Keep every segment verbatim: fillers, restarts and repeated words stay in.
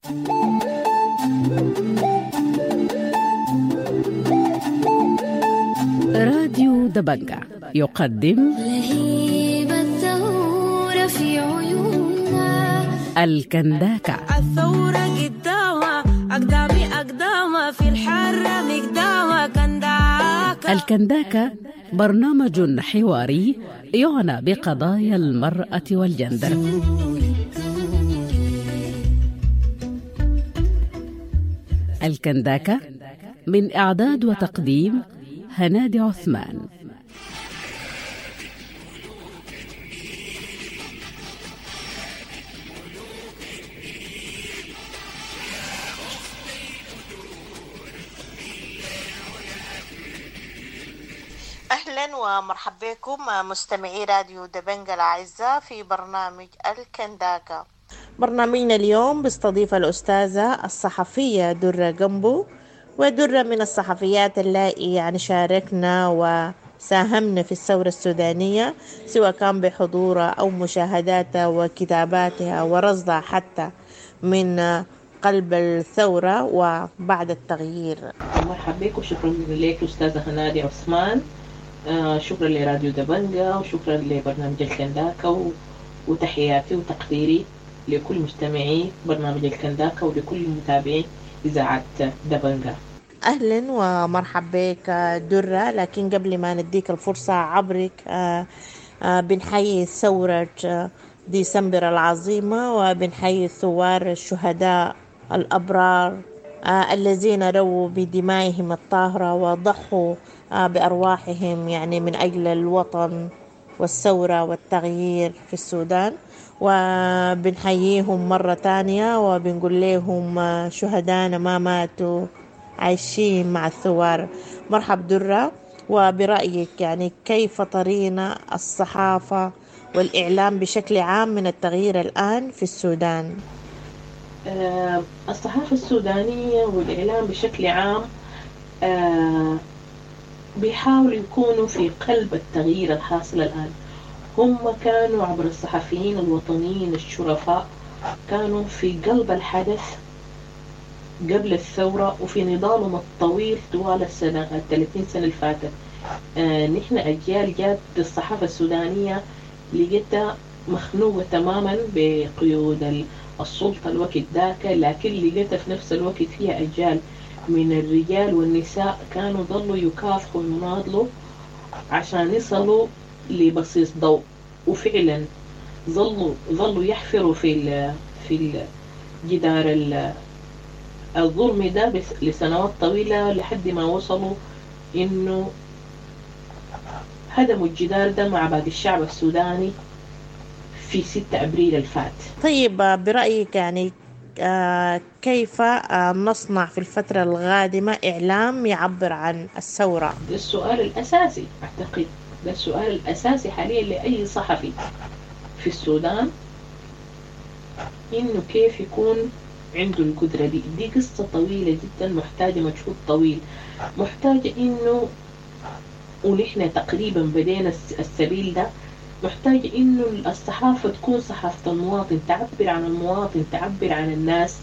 راديو دبنجة يقدم لهيب الثورة في عيوننا. الكنداكة. الثورة قدامها أقدامي أقدامها في الحرة مقدامها كنداكة. الكنداكة برنامج حواري يعنى بقضايا المرأة والجندر. الكنداكة من إعداد وتقديم هنادي عثمان. أهلا ومرحبا بكم مستمعي راديو دبنجة الأعزاء في برنامج الكنداكة. برنامجنا اليوم بيستضيف الأستاذة الصحفية درة جنبو، ودرة من الصحفيات اللائي يعني شاركنا وساهمنا في الثورة السودانية، سواء كان بحضورها أو مشاهداتها وكتاباتها ورصدها حتى من قلب الثورة وبعد التغيير. مرحبا بك وشكرا لك أستاذة هنادي عثمان. آه شكرا لراديو دبنجة وشكرا لبرنامج الكنداكة و... وتحياتي وتقديري لكل مستمعي برنامج الكنداكة ولكل متابعي إذاعة دبنجة. أهلا ومرحبا بك درة، لكن قبل ما نديك الفرصة عبرك آه آه بنحيي ثورة ديسمبر العظيمة، وبنحيي الثوار الشهداء الأبرار آه الذين رووا بدمائهم الطاهرة وضحوا آه بأرواحهم يعني من أجل الوطن والثورة والتغيير في السودان، وبنحييهم مرة تانية وبنقول لهم شهدانا ما ماتوا، عايشين مع الثوار. مرحب درة، وبرأيك يعني كيف ترين الصحافة والإعلام بشكل عام من التغيير الآن في السودان؟ آه الصحافة السودانية والإعلام بشكل عام آه بيحاولوا يكونوا في قلب التغيير الحاصل الآن. هم كانوا عبر الصحفيين الوطنيين الشرفاء كانوا في قلب الحدث قبل الثورة وفي نضالهم الطويل طوال السنة الثلاثين سنة اللي فاتت. آه نحن أجيال جات الصحافة السودانية لقيتها مخنوقة تماما بقيود السلطة الوقت ذاك، لكن لقيتها في نفس الوقت فيها أجيال من الرجال والنساء كانوا ظلوا يكافحوا ويناضلوا عشان يصلوا لبصيص ضوء، وفعلا ظلوا ظلوا يحفروا في ال في الجدار الظلم ده لسنوات طويلة لحد ما وصلوا إنه هدموا الجدار ده مع باقي الشعب السوداني في ستة أبريل الفات. طيب برأيك يعني كيف نصنع في الفترة القادمة إعلام يعبر عن الثورة؟ ده السؤال الأساسي، أعتقد ده السؤال الأساسي حاليا لأي صحفي في السودان، إنه كيف يكون عنده القدرة دي. دي قصة طويلة جدا، محتاجة مجهود طويل، محتاجة إنه ونحن تقريبا بدينا السبيل ده، محتاجة إنه الصحافة تكون صحافة المواطن، تعبر عن المواطن، تعبر عن الناس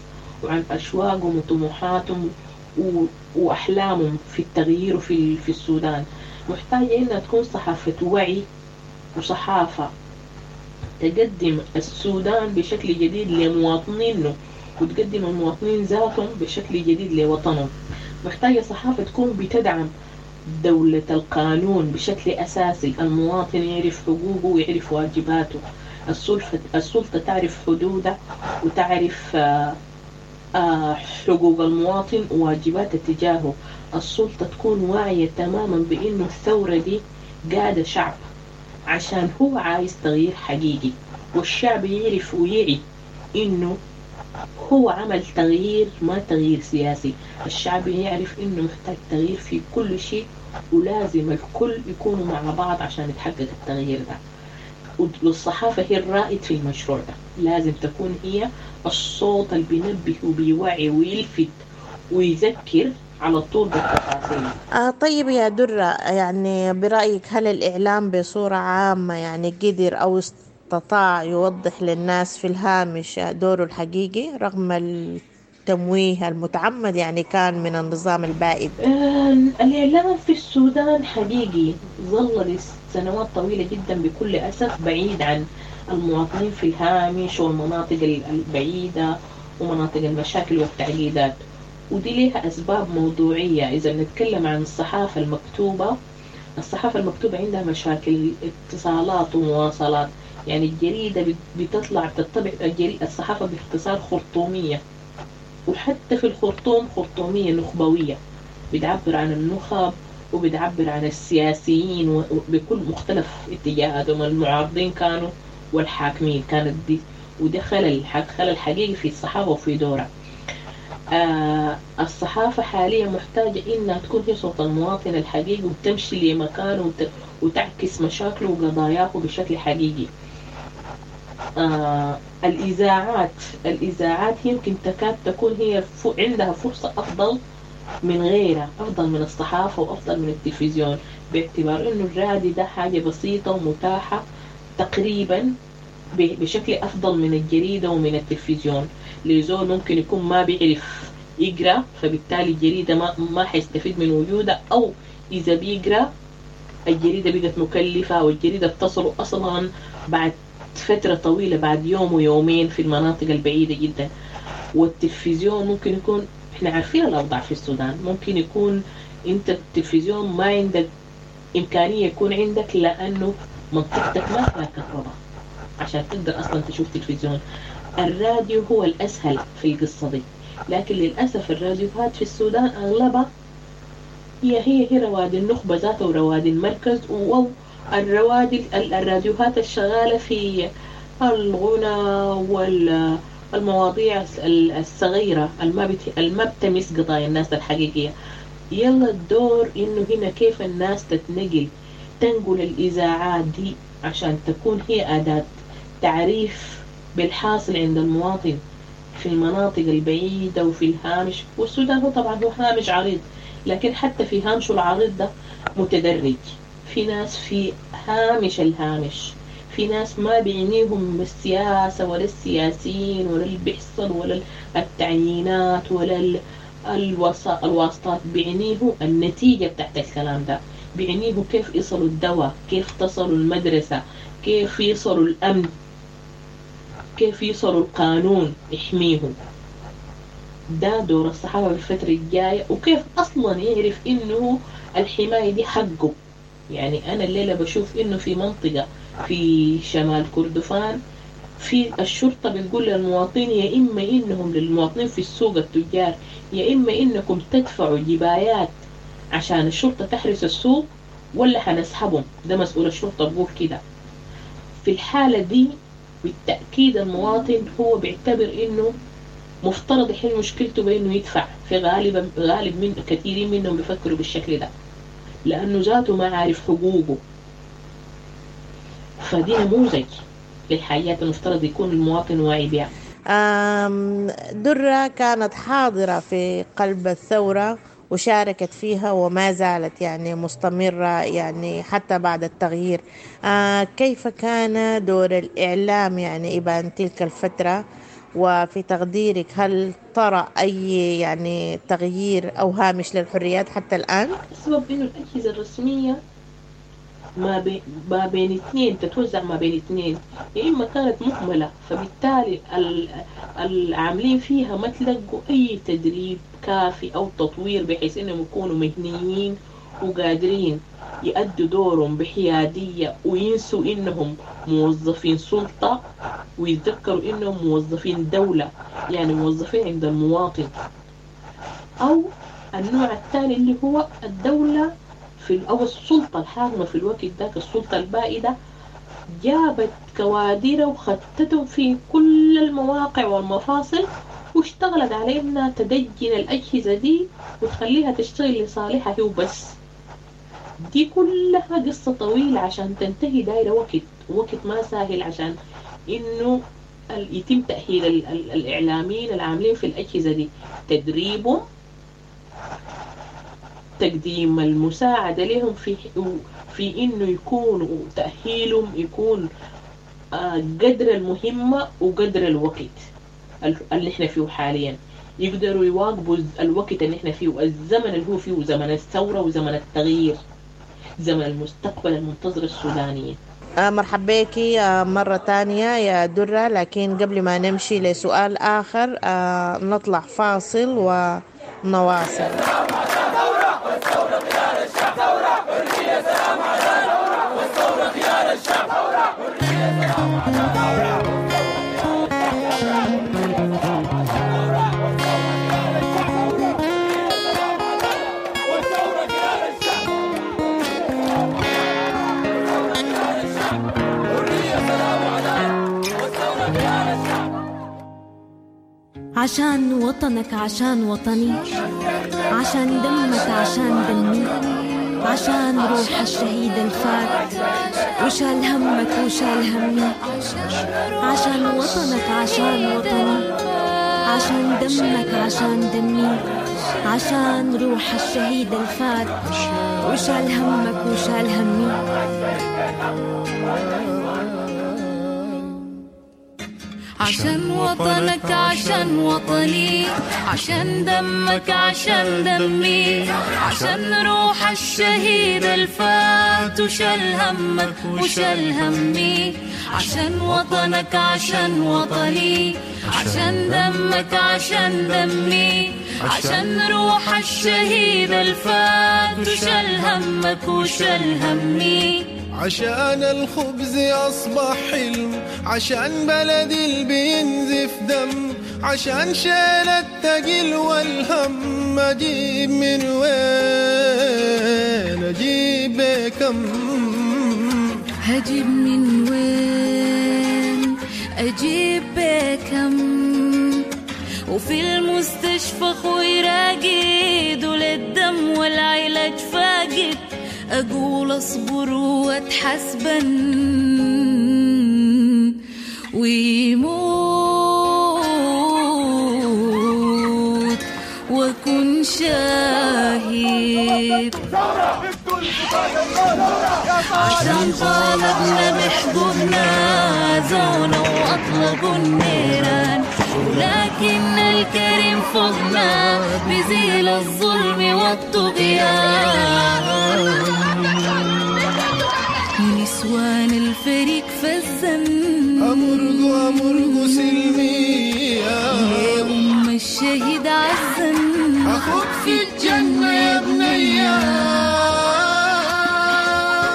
وعن أشواقهم وطموحاتهم وأحلامهم في التغيير وفي في السودان. محتاجة إنها تكون صحافة وعي وصحافة تقدم السودان بشكل جديد لمواطنينه وتقدم المواطنين ذاتهم بشكل جديد لوطنهم. محتاجة صحافة تكون بتدعم دولة القانون بشكل أساسي، المواطن يعرف حقوقه ويعرف واجباته، السلطة, السلطة تعرف حدوده وتعرف حقوق المواطن وواجباته تجاهه. السلطة تكون واعية تماما بأنه الثورة دي قادة شعب عشان هو عايز تغيير حقيقي، والشعب يعرف ويعي إنه هو عمل تغيير ما تغيير سياسي. الشعب يعرف إنه محتاج تغيير في كل شيء، ولازم الكل يكونوا مع بعض عشان يتحقق التغيير ده. والصحافة هي الرائد في المشروع ده، لازم تكون هي الصوت اللي بينبه وبيوعي ويلفت ويذكر على طول بالتفاصيل. آه طيب يا درة، يعني برأيك هل الإعلام بصورة عامة يعني قدر أو استطاع يوضح للناس في الهامش دوره الحقيقي رغم التمويه المتعمد يعني كان من النظام البائد؟ آه، الإعلام في السودان حقيقي ظل لسنوات طويلة جدا بكل أسف بعيد عن المواطنين في الهامش والمناطق البعيدة ومناطق المشاكل والتعقيدات، ودي ليها أسباب موضوعية. إذا نتكلم عن الصحافة المكتوبة، الصحافة المكتوبة عندها مشاكل اتصالات ومواصلات، يعني الجريدة بتطلع بتطبع الصحافة باختصار خرطومية، وحتى في الخرطوم خرطومية نخبوية، بتعبر عن النخب وبتعبر عن السياسيين بكل مختلف اتجاهاتهم، المعارضين كانوا والحاكمين كانت دي، وده خلل خلل حقيقي في الصحافة وفي دورها. آه الصحافة حاليا محتاجة إنها تكون هي صوت المواطن الحقيقي وتمشي لمكانه وت... وتعكس مشاكله وقضاياه بشكل حقيقي. آه الإذاعات الإذاعات يمكن تكاد تكون هي ف... عندها فرصة أفضل من غيرها، أفضل من الصحافة وأفضل من التلفزيون، باعتبار إنه الراديو ده حاجة بسيطة ومتاحة تقريبا بشكل أفضل من الجريدة ومن التلفزيون. لزول ممكن يكون ما بيعرف يقرأ، فبالتالي الجريدة ما ما حيستفيد من وجودها، أو إذا بيقرأ الجريدة بقت مكلفة، والجريدة بتصل أصلا بعد فترة طويلة، بعد يوم ويومين في المناطق البعيدة جدا. والتلفزيون ممكن يكون، احنا عارفين الأوضاع في السودان، ممكن يكون انت التلفزيون ما عندك إمكانية يكون عندك لأنه منطقتك ما فيها كهرباء عشان تقدر أصلا تشوف تلفزيون. الراديو هو الأسهل في القصة دي، لكن للأسف الراديوهات في السودان أغلبها هي هي هي روادي النخبة ذاتها وروادي المركز، والروادي الراديوهات الشغالة في الغنى والمواضيع الصغيرة الما بتمس قضايا الناس الحقيقية. يلا الدور إنه هنا كيف الناس تتنقل، تنقل الإذاعات دي عشان تكون هي أداة تعريف بالحاصل عند المواطن في المناطق البعيدة وفي الهامش. والسودان هو طبعا هو هامش عريض، لكن حتى في هامشه العريض ده متدرج، في ناس في هامش الهامش، في ناس ما بيعنيهم السياسة ولا السياسيين ولا اللي بيحصل ولا التعيينات ولا الواسطات، بيعنيه النتيجة بتاعت الكلام ده، بيعنيه كيف يصلوا الدواء، كيف تصلوا المدرسة، كيف يصلوا الأمن، كيف يصلوا القانون يحميهم. ده دور الصحافة في الفترة الجاية، وكيف أصلا يعرف إنه الحماية دي حقه. يعني أنا الليلة بشوف إنه في منطقة في شمال كردفان في الشرطة بتقول للمواطنين يا إما إنهم للمواطنين في السوق التجار، يا إما إنكم تدفعوا جبايات عشان الشرطة تحرس السوق ولا حنسحبهم. ده مسؤول الشرطة بقول كده. في الحالة دي بالتأكيد المواطن هو بيعتبر إنه مفترض يحل مشكلته بإنه يدفع. في غالبا غالب من كثيرين منهم بيفكروا بالشكل ده لأنه ذاته ما عارف حقوقه. فدي نموذج للحاجات المفترض يكون المواطن واعي بها. درة كانت حاضرة في قلب الثورة وشاركت فيها وما زالت يعني مستمرة يعني حتى بعد التغيير. آه كيف كان دور الإعلام يعني إبان تلك الفترة، وفي تقديرك هل ترى أي يعني تغيير أو هامش للحريات حتى الآن؟ السبب إنه الأجهزة الرسمية ما, بي ما بين اثنين تتوزع ما بين اثنين، يا إما كانت مهملة فبالتالي العاملين فيها ما تلقوا أي تدريب كافي أو تطوير بحيث إنهم يكونوا مهنيين وقادرين يأدوا دورهم بحيادية وينسوا إنهم موظفين سلطة ويتذكروا إنهم موظفين دولة، يعني موظفين عند المواطن. أو النوع الثاني اللي هو الدولة في أو السلطة الحاكمة في الوقت ذاك، السلطة البائدة، جابت كوادر وختتهم في كل المواقع والمفاصل واشتغلت على إنها تدجن الأجهزة دي وتخليها تشتغل لصالحها هي وبس. دي كلها قصة طويلة عشان تنتهي، دايرة وقت، وقت ما سهل عشان إنه يتم تأهيل الإعلاميين العاملين في الأجهزة دي، تدريبهم، تقديم المساعدة لهم في في إنه يكونوا تأهيلهم يكون قدر المهمة وقدر الوقت اللي احنا فيه حاليا، يقدروا يواكبوا الوقت اللي احنا فيه، الزمن اللي هو فيه، زمن الثورة وزمن التغيير، زمن المستقبل المنتظر السودانية. مرحبا بك مرة تانية يا درة، لكن قبل ما نمشي لسؤال آخر نطلع فاصل ونواصل. عشان وطنك عشان وطني، عشان دمك عشان دمي، عشان روح الشهيد الفات وشال همك وشال همي، عشان وطنك عشان وطني، عشان دمك عشان دمي، عشان روح الشهيد الفات وشال همك وشال همي. عشان وطنك عشان وطني، عشان دمك عشان دمي، عشان روح الشهيد الفات وشال همك وشال همي، عشان وطنك عشان وطني، عشان دمك عشان دمي، عشان روح الشهيد الفات وشال همك وشال همي. عشان الخبز أصبح حلم، عشان بلدي اللي بينزف دم، عشان شيل التقل والهم، أجيب من وين أجيب بكم، هجيب من وين أجيب بكم، وفي المستشفى خوي راقد وللدم والعلاج فاقد، أقول أصبر وأتحسبن ويموت وأكون شاهد، عشان طالبنا بحقوقنا زونا وأطلقوا النيران، ولكن الكريم فوقنا بيزيل الظلم والطغيان، ونسوان الفريق فزن أمرق أمرق سلمية يا أم الشهيد عزن، أخوك في الجنة يا بنية.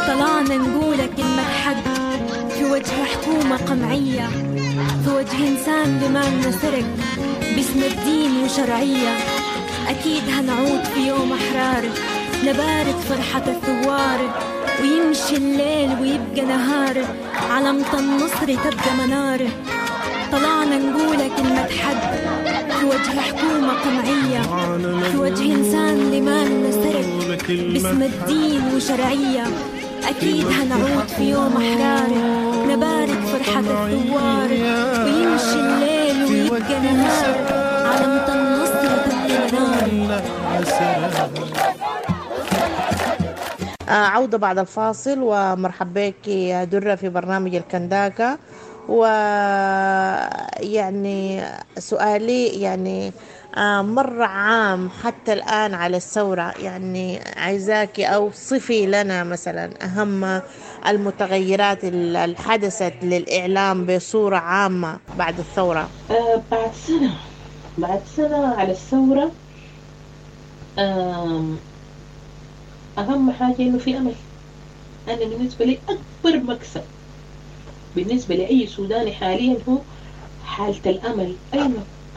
طلعنا نقولك كلمة حق في وجه حكومة قمعية، في وجه إنسان لمالنا سرق باسم الدين وشرعية، أكيد هنعود في يوم أحرار نبارك فرحة الثوار، ويمشي الليل ويبقى نهار علامة النصر تبقى منار. طلعنا نقولك كلمة حق في وجه حكومة قمعية، في وجه إنسان لمالنا سرق باسم الدين وشرعية، أكيد هنعود في يوم أحرار نبارك فرحة الثوار، ويمشي الليل ويبقى نهار علامة النصر تبقى منار. عودة بعد الفاصل، ومرحبا بك يا درة في برنامج الكنداكا. ويعني سؤالي يعني مر عام حتى الآن على الثورة، يعني عايزاكي أو صفي لنا مثلا أهم المتغيرات اللي حدثت للإعلام بصورة عامة بعد الثورة. آه بعد سنة بعد سنة على الثورة، آه أهم حاجة إنه في أمل. أنا بالنسبة لي أكبر مكسب بالنسبة لأي سوداني حاليا هو حالة الأمل. أيوة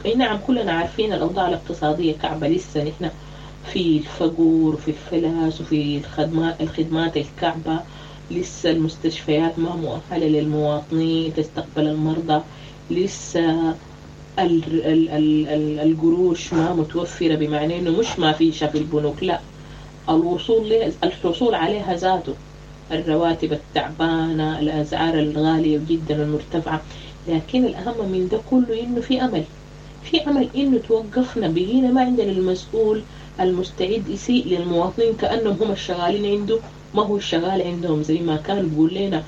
أي نعم، كلنا عارفين الأوضاع الاقتصادية كعبة، لسه نحن في الفقور وفي الفلاس وفي الخدمات الخدمات الكعبة، لسه المستشفيات ما مؤهلة للمواطنين تستقبل المرضى، لسه ال ال ال ال القروش ما متوفرة، بمعنى إنه مش ما فيش في البنوك، لا الوصول الحصول عليها ذاته، الرواتب التعبانة، الأسعار الغالية جدا المرتفعة. لكن الأهم من ده كله إنه في أمل، في أمل إنه توقفنا، بقينا ما عندنا المسؤول المستعد يسيء للمواطنين كأنهم هم الشغالين عنده، ما هو الشغال عندهم زي ما كان بيقول لنا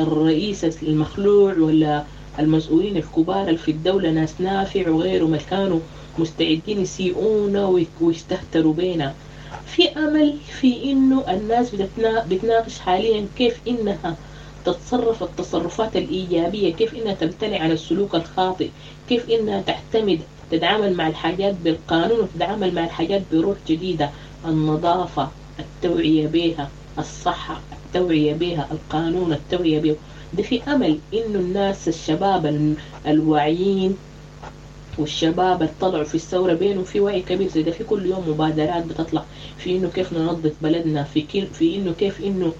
الرئيس المخلوع ولا المسؤولين الكبار في الدولة ناس نافع وغيرهم اللي كانوا مستعدين يسيئونا ويستهتروا بينا. في أمل في إنه الناس بتناقش حاليا كيف إنها تتصرف التصرفات الإيجابية، كيف إنها تمتنع عن السلوك الخاطئ، كيف إنها تعتمد تتعامل مع الحاجات بالقانون وتتعامل مع الحاجات بروح جديدة. النظافة التوعية بها، الصحة التوعية بها، القانون التوعية بها. ده في أمل إنه الناس الشباب الواعيين والشباب اللي طلعوا في الثورة بينهم في وعي كبير زي ده. في كل يوم مبادرات بتطلع في إنه كيف ننظف بلدنا، في كي في إنه كيف إنه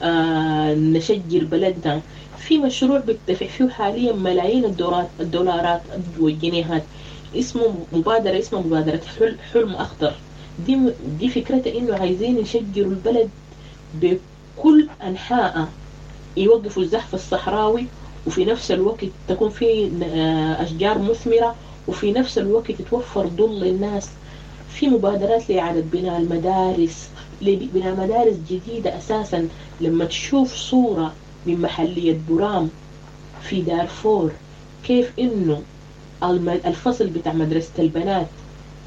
آه نشجر بلدنا. في مشروع بتدفع فيه حاليا ملايين الدولارات الدولارات والجنيهات، اسمه مبادرة، اسمه مبادرة حلم أخضر. دي دي فكرتها إنه عايزين يشجروا البلد بكل أنحائها، يوقفوا الزحف الصحراوي وفي نفس الوقت تكون في أشجار مثمرة وفي نفس الوقت تتوفر ظل للناس. في مبادرات لإعادة بناء المدارس، لبناء مدارس جديدة أساسا. لما تشوف صورة من محلية برام في دارفور كيف إنه الفصل بتاع مدرسة البنات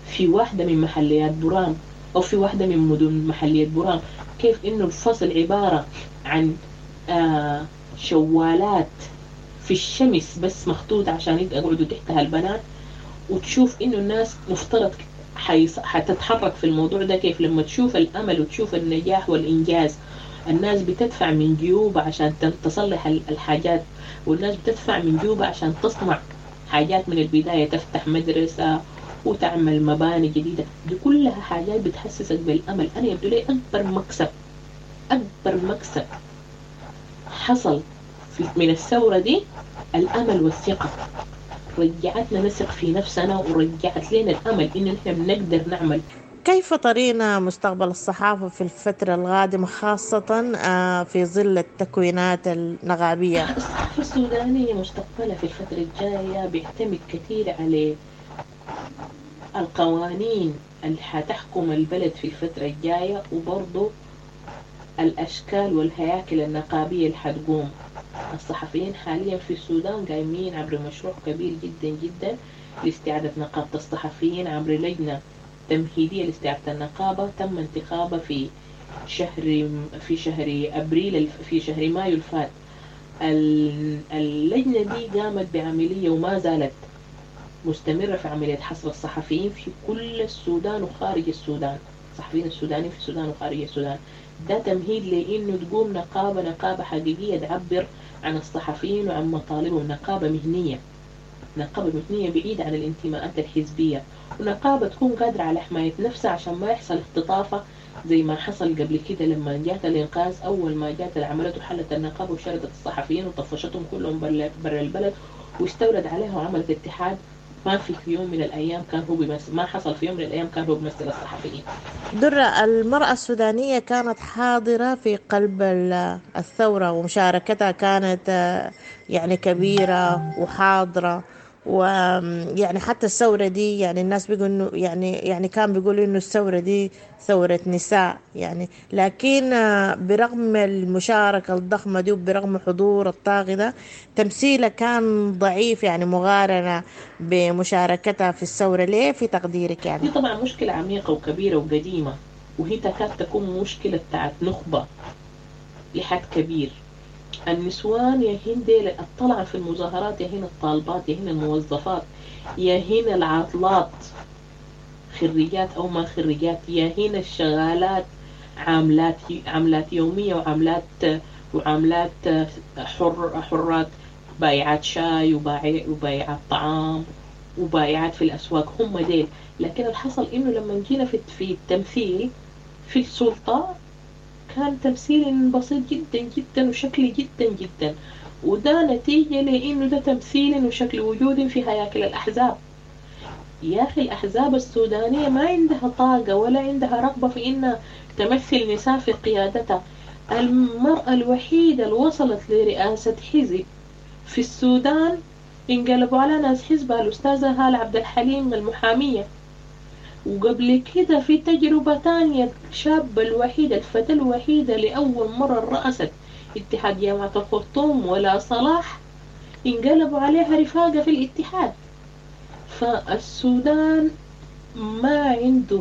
في واحدة من محليات برام أو في واحدة من مدن محلية برام، كيف إنه الفصل عبارة عن آه شوالات في الشمس بس مخطوط عشان يقعدوا تحتها البنات. وتشوف إنه الناس مفترض حتتحرك في الموضوع ده كيف. لما تشوف الأمل وتشوف النجاح والإنجاز، الناس بتدفع من جيوبها عشان تصلح الحاجات، والناس بتدفع من جيوبها عشان تصنع حاجات من البداية، تفتح مدرسة وتعمل مباني جديدة. دي كلها حاجات بتحسسك بالأمل. أنا يبدو لي أكبر مكسب، أكبر مكسب حصل من الثورة دي الأمل والثقة. رجعتنا نثق في نفسنا ورجعت لنا الأمل إن نحن بنقدر نعمل. كيف ترين مستقبل الصحافة في الفترة القادمة خاصة في ظل التكوينات النغابية؟ الصحافة السودانية مستقبلها في الفترة الجاية بيعتمد كثير على القوانين اللي حتحكم البلد في الفترة الجاية، وبرضو الأشكال والهياكل النقابية اللي حتقوم. الصحفيين حاليا في السودان قايمين عبر مشروع كبير جدا جدا لاستعادة نقابة الصحفيين عبر لجنة تمهيدية لاستعادة النقابة تم انتخابها في شهر في شهر أبريل في شهر مايو الفات. اللجنة دي قامت بعملية وما زالت مستمرة في عملية حصر الصحفيين في كل السودان وخارج السودان، الصحفيين السودانيين في السودان وخارج السودان. ده تمهيد لأنه تقوم نقابة نقابة حقيقية تعبر عن الصحفيين وعن مطالبهم، نقابة مهنية، نقابة مهنية بعيدة عن الانتماءات الحزبية، ونقابة تكون قادرة على حماية نفسها عشان ما يحصل اختطافة زي ما حصل قبل كده لما جات الإنقاذ. أول ما جات عملته حلت النقابة وشردت الصحفيين وطفشتهم كلهم برا البلد واستولد عليها وعملت اتحاد ما في في يوم من الأيام كان هو بيمثل، ما حصل في يوم من الأيام كان هو بيمثل الصحفيين. درة، المرأة السودانية كانت حاضرة في قلب الثورة ومشاركتها كانت يعني كبيرة وحاضرة، ويعني حتى الثورة دي يعني الناس بيقولوا إنه يعني يعني كان بيقولوا إنه الثورة دي ثورة نساء يعني، لكن برغم المشاركة الضخمة دي وبرغم حضور الطاغي ده تمثيلها كان ضعيف يعني مقارنة بمشاركتها في الثورة. ليه في تقديرك يعني؟ دي طبعا مشكلة عميقة وكبيرة وقديمة، وهي تكاد تكون مشكلة بتاعت نخبة لحد كبير. النسوان يا هن الطلعة في المظاهرات، يا هن الطالبات، يا هن الموظفات، يا هن العاطلات خريجات أو ما خريجات، يا هن الشغالات عاملات عاملات يومية وعاملات وعاملات حر حرات، بايعات شاي وبايعات طعام وبايعات في الأسواق، هم ديل. لكن الحصل إنه لما جينا في في التمثيل في السلطة كان تمثيل بسيط جدا جدا وشكلي جدا جدا، وده نتيجة لأنه ده تمثيل وشكل وجود في هياكل الأحزاب. يا أخي الأحزاب السودانية ما عندها طاقة ولا عندها رغبة في إنها تمثل نساء في قيادتها. المرأة الوحيدة اللي وصلت لرئاسة حزب في السودان انقلبوا على ناس حزبها الأستاذة هالة عبد الحليم المحامية. وقبل كده في تجربة تانية، الشابة الوحيدة الفتاة الوحيدة لأول مرة رأست اتحاد جامعة الخرطوم ولا صلاح انقلبوا عليها رفاقة في الاتحاد. فالسودان ما عنده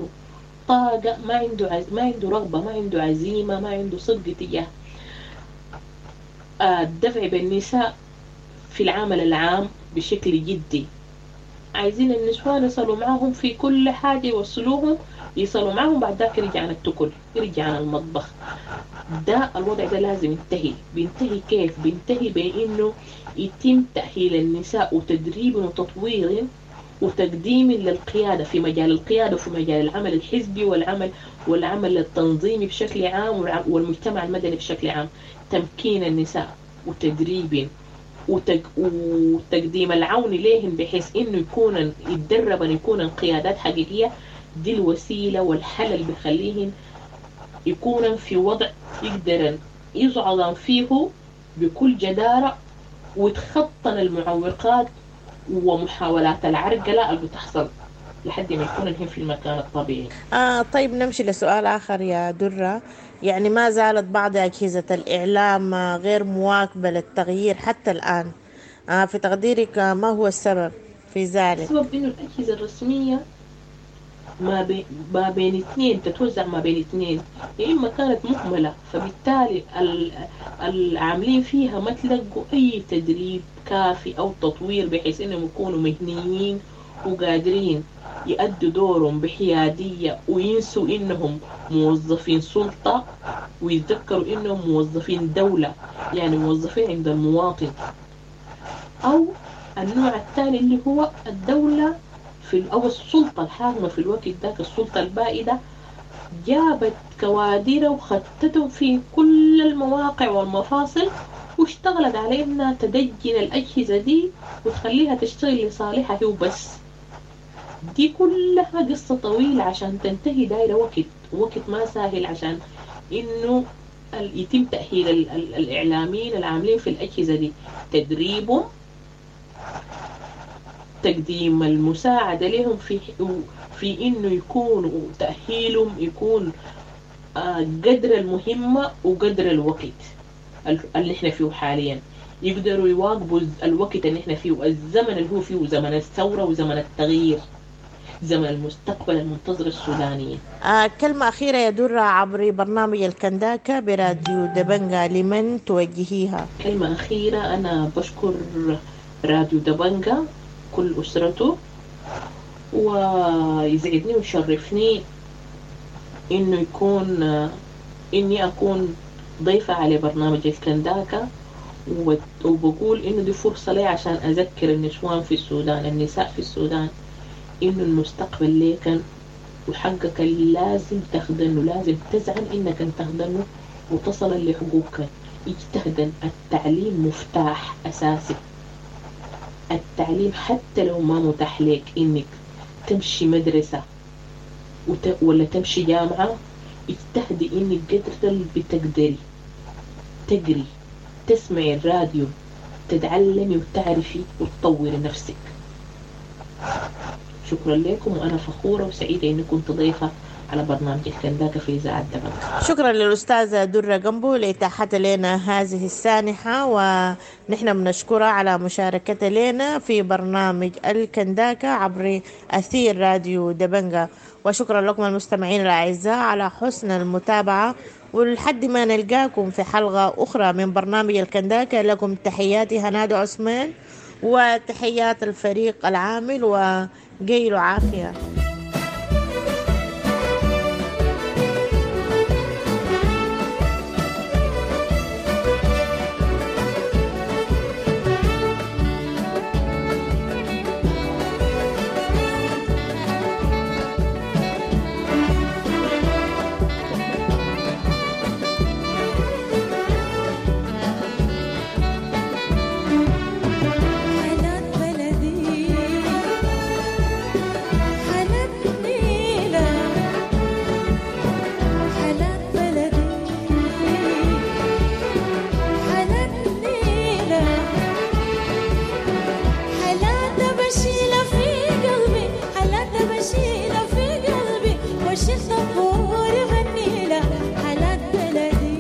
طاقة، ما عنده عز... ما عنده رغبة، ما عنده عزيمة، ما عنده صدق تجاه الدفع بالنساء في العمل العام بشكل جدي. عايزين النسوان يصلوا معاهم في كل حاجة، يوصلوهم يصلوا معاهم، بعد ذاك يرجع عن التكل، يرجع عن المطبخ. ده الوضع ده لازم ينتهي. بينتهي كيف؟ بينتهي بانه يتم تأهيل النساء وتدريب وتطوير وتقديم للقيادة في مجال القيادة وفي مجال العمل الحزبي والعمل والعمل التنظيمي بشكل عام والمجتمع المدني بشكل عام. تمكين النساء وتدريب وتق... وتقديم العون ليهن بحيث انه يكون يتدربن يكون قيادات حقيقية. دي الوسيلة والحل اللي بيخليهن يكونن في وضع يقدرن يصعدن فيه بكل جدارة ويتخطن المعوقات ومحاولات العرقلة اللي بتحصل لحد ما يكون هن في المكان الطبيعي. آه طيب نمشي لسؤال آخر يا درة. يعني ما زالت بعض أجهزة الإعلام غير مواكبة للتغيير حتى الآن، آه في تقديرك ما هو السبب في ذلك؟ السبب إنه الأجهزة الرسمية ما, بي ما بين اثنين تتوزع ما بين اثنين، يا إما كانت مهملة فبالتالي العاملين فيها ما تلقوا أي تدريب كافي أو تطوير بحيث إنهم يكونوا مهنيين وقادرين يأدوا دورهم بحيادية وينسوا إنهم موظفين سلطة ويتذكروا إنهم موظفين دولة، يعني موظفين عند المواطن. أو النوع الثاني اللي هو الدولة في أو السلطة الحاكمة في الوقت ذاك، السلطة البائدة، جابت كوادر وختتهم في كل المواقع والمفاصل واشتغلت على إنها تدجن الأجهزة دي وتخليها تشتغل لصالحها هي وبس. دي كلها قصة طويلة عشان تنتهي، دايرة وقت، وقت ما سهل عشان إنه يتم تأهيل الإعلاميين العاملين في الأجهزة دي، تدريبهم، تقديم المساعدة لهم في في إنه يكونوا تأهيلهم يكون قدر المهمة وقدر الوقت اللي احنا فيه حاليا، يقدروا يواكبوا الوقت اللي احنا فيه، الزمن اللي هو فيه، زمن الثورة وزمن التغيير، زمن المستقبل المنتظر السودانية. آه كلمة أخيرة يا درة عبر برنامج الكنداكة براديو دبنجا، لمن توجهيها؟ كلمة أخيرة، أنا بشكر راديو دبنجا كل أسرته، ويسعدني ويشرفني إنه يكون إني أكون ضيفة على برنامج الكنداكة، وبقول إنه دي فرصة لي عشان أذكر النسوان في السودان، النساء في السودان، إنه المستقبل ليكن وحقك لازم تاخدنه، لازم تزعم إنك تاخدنه وتصل لحقوقك. اجتهدن، التعليم مفتاح أساسي. التعليم حتى لو ما متاح لك إنك تمشي مدرسة وت... ولا تمشي جامعة، اجتهدي إنك قدر اللي بتقدري تقري، تسمعي الراديو، تتعلمي وتعرفي وتطوري نفسك. شكرا لكم، وأنا فخورة وسعيدة إني كنت ضيفة على برنامج الكنداكة في إذاعة دبنجا. شكرا للأستاذة درة جنبو لإتاحتها لنا هذه السانحة، ونحن بنشكرها على مشاركتها لنا في برنامج الكنداكة عبر أثير راديو دبنجا. وشكرا لكم المستمعين الأعزاء على حسن المتابعة، ولحد ما نلقاكم في حلقة أخرى من برنامج الكنداكة، لكم تحياتي هنادي عثمان وتحيات الفريق العامل، وقيلوا عافية. وش الطبور غني له حالات بلدي.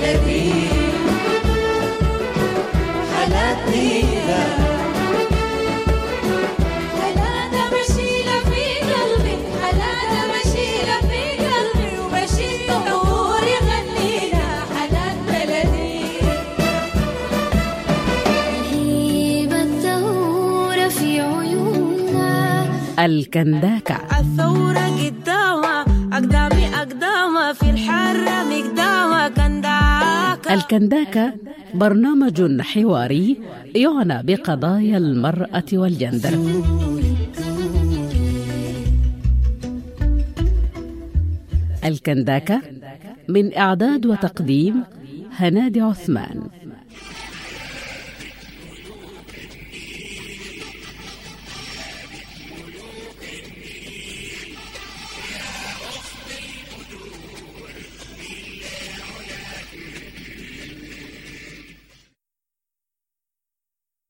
بلدي حالاتنا. حلانا بشيلة في قلبي، حلانا بشيلة في قلبي، وبشيل طهور يغنينا حالات بلدي. هيبة الثورة في عيوننا. الكنداكة. الثورة قدامها أقدامي أقدامها في الحرة مقدامها كنداكة. الكنداكة برنامج حواري يعنى بقضايا المرأة والجندر. الكنداكة من إعداد وتقديم هنادي عثمان.